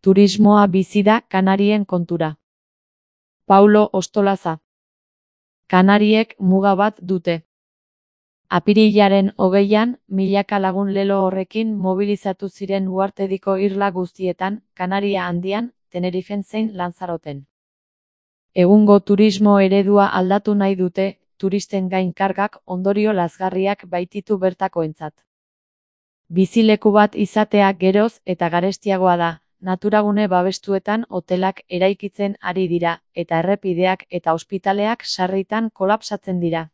Turismoa bizi da Kanarien kontura. Paulo Ostolaza. Kanariek muga bat dute. Apirilaren 20an, milaka lagun lelo horrekin mobilizatu ziren uhartediko irla guztietan, Kanaria Handian, Tenerifen zein Lanzaroten. Egungo turismo eredua aldatu nahi dute, turisten gain kargak ondorio lazgarriak baititu bertakoentzat. Bizileku bat izatea geroz eta garestiagoa da, naturagune babestuetan hotelak eraikitzen ari dira, eta errepideak eta ospitaleak sarritan kolapsatzen dira.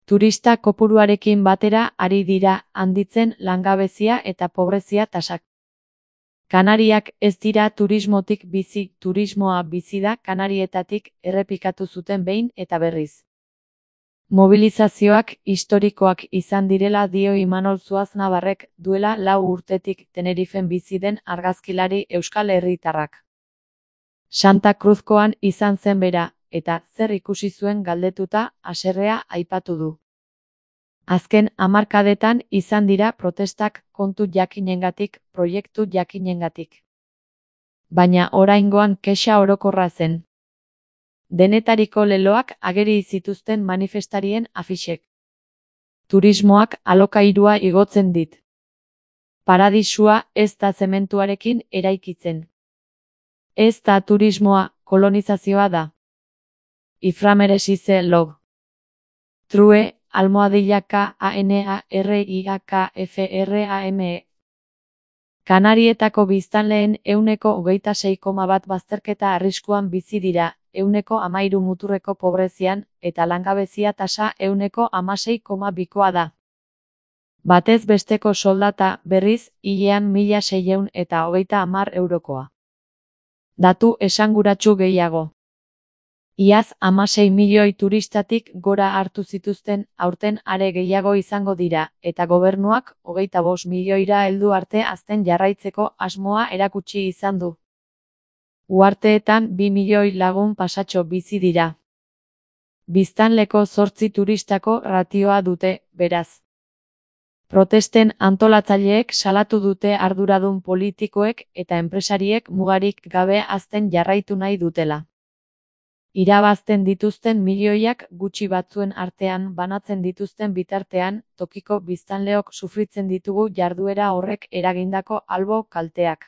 Turista kopuruarekin batera ari dira handitzen langabezia eta pobrezia tasak. Kanariak ez dira turismotik bizi, turismoa bizi da Kanarietatik errepikatu zuten behin eta berriz. Mobilizazioak historikoak izan direla dio Imanol Zuaznabarrek duela 4 urtetik Tenerifen bizi den argazkilari euskal herritarrak. Santa Cruzkoan izan zen bera, eta zer ikusi zuen galdetuta haserrea aipatu du. Azken hamarkadetan izan dira protestak kontu jakinengatik, proiektu jakinengatik. Baina oraingoan kexa orokorra zen. Denetariko leloak ageri zituzten manifestarien afixek. Turismoak alokairua igotzen dit. Paradisua ez da zementuarekin eraikitzen. Ez da turismoa, kolonizazioa da. Iframeresize log. True, _KANARIAKFRAME. Kanarietako biztanleen 26,1% bazterketa arriskuan bizi dira, 13% muturreko pobrezian, eta langabezia tasa 16,2koa da. Batez besteko soldata, berriz, hilean 1.630 eurokoa. Datu esanguratsu gehiago. Iaz 16 milioi turistatik gora hartu zituzten, aurten are gehiago izango dira, eta gobernuak 25 milioira heldu arte hazten jarraitzeko asmoa erakutsi izan du. Uharteetan 2 milioi lagun pasatxo bizi dira. Biztanleko 8 turistako ratioa dute, beraz. Protesten antolatzaileek salatu dute arduradun politikoek eta enpresariek mugarik gabe hazten jarraitu nahi dutela. Irabazten dituzten milioiak gutxi batzuen artean banatzen dituzten bitartean, tokiko biztanleok sufritzen ditugu jarduera horrek eragindako albo kalteak.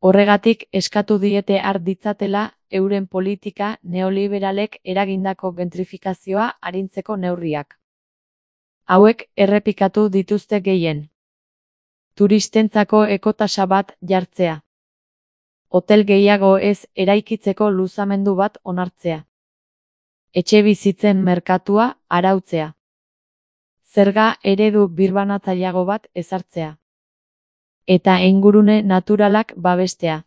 Horregatik eskatu diete har ditzatela, euren politika neoliberalek eragindako gentrifikazioa arintzeko neurriak. Hauek errepikatu dituzte gehien. Turistentzako ekotasa bat jartzea. Hotel gehiago ez eraikitzeko luzamendu bat onartzea. Etxebizitzen merkatua arautzea. Zerga eredu birbanatzaileago bat ezartzea. Eta ingurune naturalak babestea.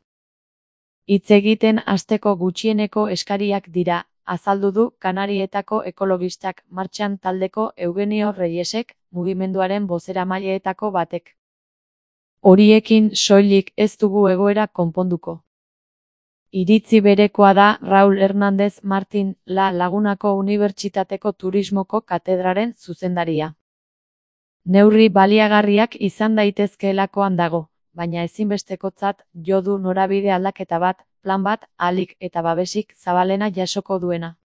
Hitz egiten hasteko gutxieneko eskariak dira, azaldu du Kanarietako ekologistak martxan taldeko Eugenio Reyesek, mugimenduaren bozeramaileetako batek. Horiekin soilik ez dugu egoera konponduko. Iritzi berekoa da Raul Hernández Martín, La Lagunako Unibertsitateko Turismoko katedraren zuzendaria. Neurri baliagarriak izan daitezkeelakoan dago, baina ezinbestekotzat jo du norabide aldaketa bat, plan bat, ahalik eta babesik zabalena jasoko duena.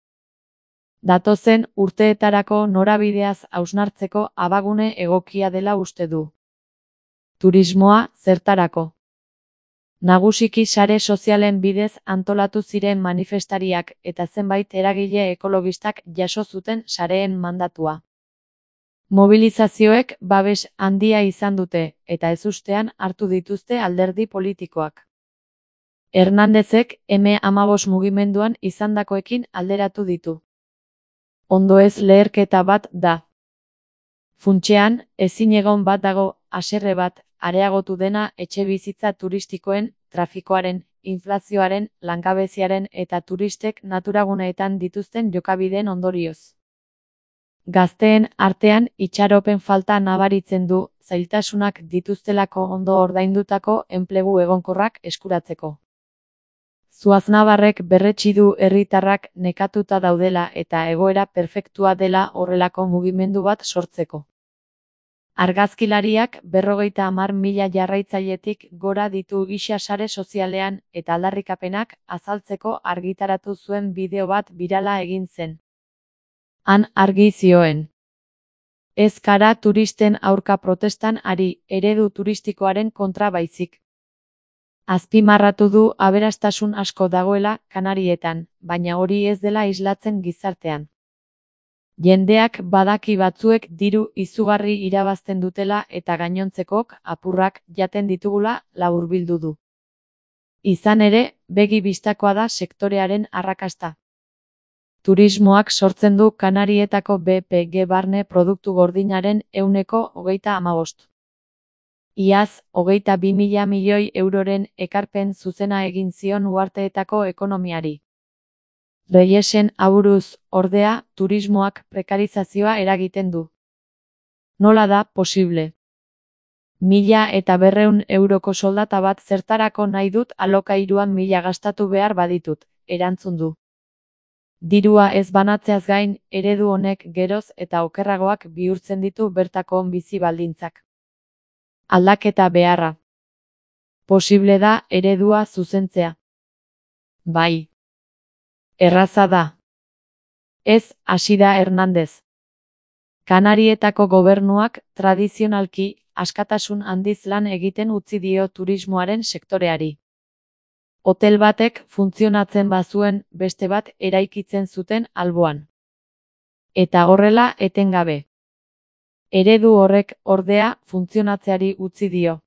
Datozen urteetarako norabideaz hausnartzeko abagune egokia dela uste du. Turismoa zertarako. Nagusiki sare sozialen bidez antolatu ziren manifestariak eta zenbait eragile ekologistak jaso zuten sareen mandatua. Mobilizazioek babes handia izan dute, eta ezustean hartu dituzte alderdi politikoak. Hernándezek M15 mugimenduan izandakoekin alderatu ditu. Ondo ez leherketa bat da. Funtsean, ezinegon bat dago, haserre bat, areagotu dena etxebizitza turistikoen, trafikoaren, inflazioaren, langabeziaren eta turistek naturaguneetan dituzten jokabideen ondorioz. Gazteen artean itxaropen falta nabaritzen du, zailtasunak dituztelako ondo ordaindutako enplegu egonkorrak eskuratzeko. Zuaznabarrek berretsi du herritarrak nekatuta daudela eta egoera perfektua dela horrelako mugimendu bat sortzeko. Argazkilariak 50.000 jarraitzailetik gora ditu gisa sare sozialean eta aldarrikapenak azaltzeko argitaratu zuen bideo bat birala egin zen. Han argi zioen: ez gara turisten aurka protestan ari, eredu turistikoaren kontra baizik. Azpimarratu du aberastasun asko dagoela Kanarietan, baina hori ez dela islatzen gizartean. Jendeak badaki batzuek diru izugarri irabazten dutela eta gainontzekok apurrak jaten ditugula laburbildu du. Izan ere, begi bistakoa da sektorearen arrakasta. Turismoak sortzen du Kanarietako BPG barne produktu gordinaren 35%. Iaz, 22.000 milioi euroren ekarpen zuzena egin zion uharteetako ekonomiari. Reyesen aburuz, ordea, turismoak prekarizazioa eragiten du. Nola da posible? 1.200 euroko soldata bat zertarako nahi dut alokairuan 1.000 gastatu behar baditut, erantzun du. Dirua ez banatzeaz gain, eredu honek geroz eta okerragoak bihurtzen ditu bertako bizi baldintzak. Aldaketa beharra. Posible da eredua zuzentzea. Bai. Erraza da. Ez, hasi da Hernández. Kanarietako gobernuak tradizionalki askatasun handiz lan egiten utzi dio turismoaren sektoreari. Hotel batek funtzionatzen bazuen beste bat eraikitzen zuten alboan. Eta horrela etengabe. Eredu horrek ordea funtzionatzeari utzi dio.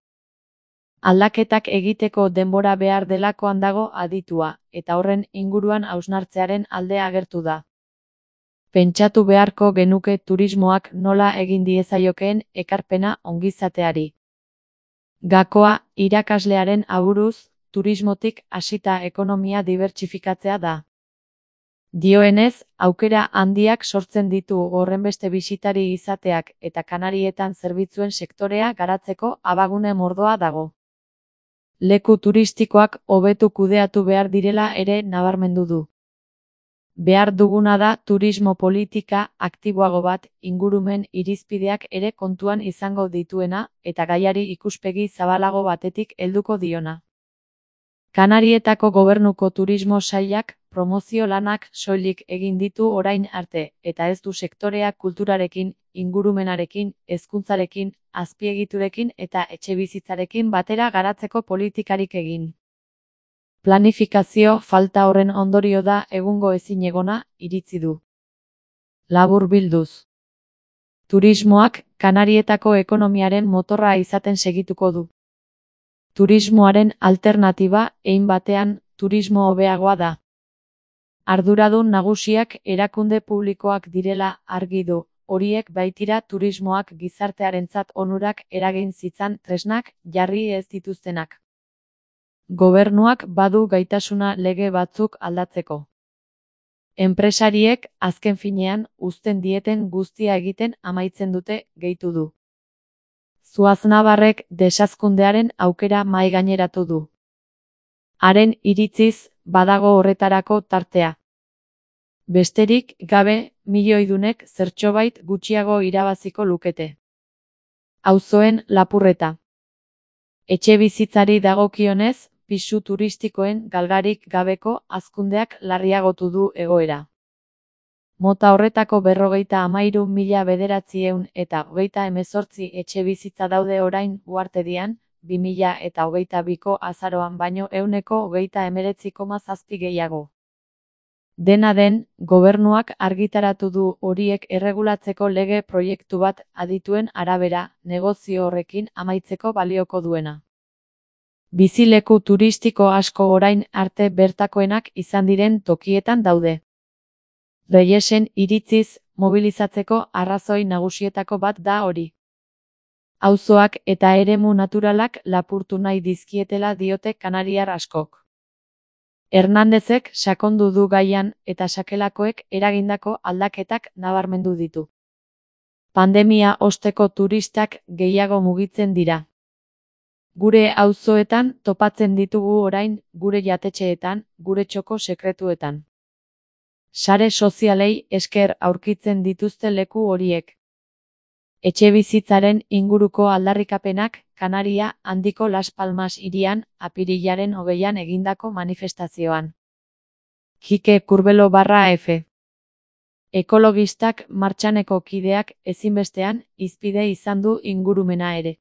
Aldaketak egiteko denbora behar delakoan dago aditua, eta horren inguruan hausnartzearen alde agertu da. Pentsatu beharko genuke turismoak nola egin diezaiokeen ekarpena ongizateari. Gakoa, irakaslearen aburuz, turismotik hasita ekonomia dibertsifikatzea da. Dioenez, aukera handiak sortzen ditu horrenbeste bisitari izateak eta Kanarietan zerbitzuen sektorea garatzeko abagune mordoa dago. Leku turistikoak hobetu kudeatu behar direla ere nabarmendu du. Behar duguna da turismo politika aktiboago bat, ingurumen irizpideak ere kontuan izango dituena eta gaiari ikuspegi zabalago batetik helduko diona. Kanarietako gobernuko turismo sailak promozio lanak soilik egin ditu orain arte, eta ez du sektorea kulturarekin, ingurumenarekin, hezkuntzarekin, azpiegiturekin eta etxebizitzarekin batera garatzeko politikarik egin. Planifikazio falta horren ondorio da egungo ezinegona, iritzi du. Laburbilduz. Turismoak Kanarietako ekonomiaren motorra izaten segituko du. Turismoaren alternatiba, hein batean, turismo hobeagoa da. Arduradun nagusiak erakunde publikoak direla argi du, horiek baitira turismoak gizartearentzat onurak eragin zitzan tresnak jarri ez dituztenak. Gobernuak badu gaitasuna lege batzuk aldatzeko. Enpresariek azken finean uzten dieten guztia egiten amaitzen dute, gehitu du. Zuaznabarrek desazkundearen aukera mahai gaineratu du. Haren iritziz, badago horretarako tartea. Besterik gabe, milioidunek zertxobait gutxiago irabaziko lukete. Auzoen lapurreta. Etxebizitzari dagokionez, pisu turistikoen galgarik gabeko hazkundeak larriagotu du egoera. Mota horretako 53.900 eta 38 etxebizitza daude orain uhartedian, 2022ko azaroan baino 19,7% gehiago. Dena den, gobernuak argitaratu du horiek erregulatzeko lege proiektu bat adituen arabera, negozio horrekin amaitzeko balioko duena. Bizileku turistiko asko orain arte bertakoenak izan diren tokietan daude. Reyesen iritziz, mobilizatzeko arrazoi nagusietako bat da hori. Auzoak eta eremu naturalak lapurtu nahi dizkietela diote kanariar askok. Hernándezek sakondu du gaian eta sakelakoek eragindako aldaketak nabarmendu ditu. Pandemia osteko turistak gehiago mugitzen dira. Gure auzoetan topatzen ditugu orain, gure jatetxeetan, gure txoko sekretuetan. Sare sozialei esker aurkitzen dituzte leku horiek. Etxebizitzaren inguruko aldarrikapenak Kanaria handiko Las Palmas hirian apirilaren 20an egindako manifestazioan. Kike Kurbelo /F. Ekologistak martxaneko kideak ezinbestean hizpide izan du ingurumena ere.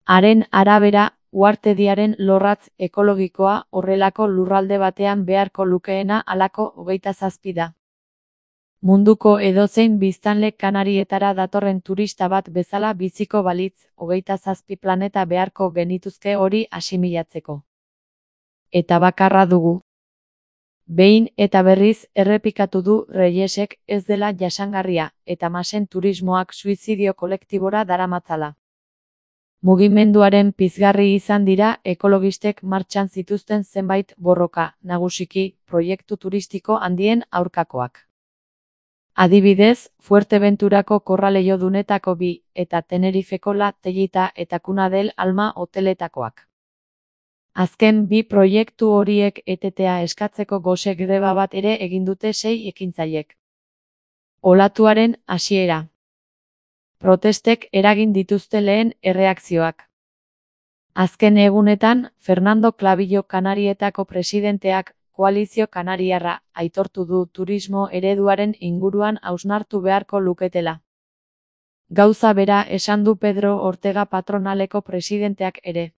Haren arabera, uhartediaren lorratz ekologikoa horrelako lurralde batean beharko lukeena halako 27 da. Munduko edozein biztanle Kanarietara datorren turista bat bezala biziko balitz 27 planeta beharko genituzke hori asimilatzeko. Eta bakarra dugu. Behin eta berriz errepikatu du Reyesek ez dela jasangarria eta masen turismoak suizidio kolektibora daramatzala. Mugimenduaren pizgarri izan dira ekologistek martxan zituzten zenbait borroka, nagusiki proiektu turistiko handien aurkakoak. Adibidez, Fuerteventurako korraleiodunetako 2 eta Tenerifeko La Tellita eta Cuna del Alma hoteletakoak. Azken 2 proiektu horiek etetea eskatzeko gose greba bat ere egin dute 6 ekintzailek. Olatuaren hasiera. Protestek eragin dituzte lehen erreakzioak. Azken egunetan, Fernando Clavillo Kanarietako presidenteak Koalizio Kanariarra aitortu du turismo ereduaren inguruan hausnartu beharko luketela. Gauza bera esan du Pedro Ortega patronaleko presidenteak ere.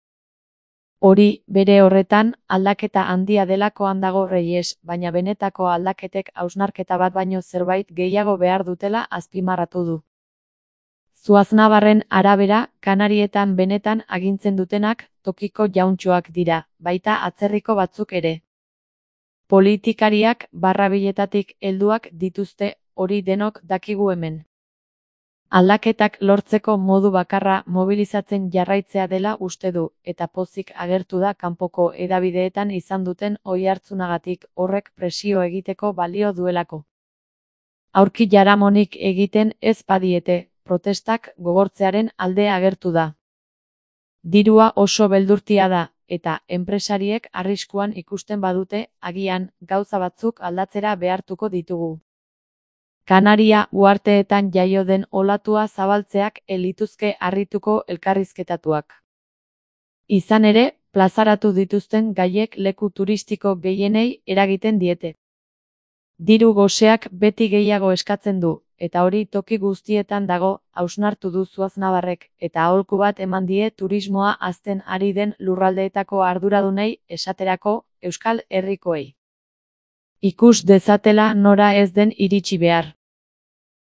Hori, bere horretan, aldaketa handia delakoan dago Reyes, baina benetako aldaketek hausnarketa bat baino zerbait gehiago behar dutela azpimarratu du. Zuaznabarren arabera, Kanarietan benetan agintzen dutenak tokiko jauntxoak dira, baita atzerriko batzuk ere. Politikariak barrabiletatik helduak dituzte, hori denok dakigu hemen. Aldaketak lortzeko modu bakarra mobilizatzen jarraitzea dela uste du, eta pozik agertu da kanpoko hedabideetan izan duten oihartzunagatik horrek presio egiteko balio duelako. Aurki jaramonik egiten ez badiete, protestak gogortzearen alde agertu da. Dirua oso beldurtia da, eta enpresariek arriskuan ikusten badute, agian, gauza batzuk aldatzera behartuko ditugu. Kanaria uharteetan jaio den olatua zabaltzeak lituzke harrituko elkarrizketatuak. Izan ere, plazaratu dituzten gaiek leku turistiko gehienei eragiten diete. Diru goseak beti gehiago eskatzen du, eta hori toki guztietan dago, hausnartu du Zuaznabarrek, eta aholku bat eman die turismoa hazten ari den lurraldeetako arduradunei, esaterako, Euskal Herrikoei. Ikus dezatela nora ez den iritsi behar.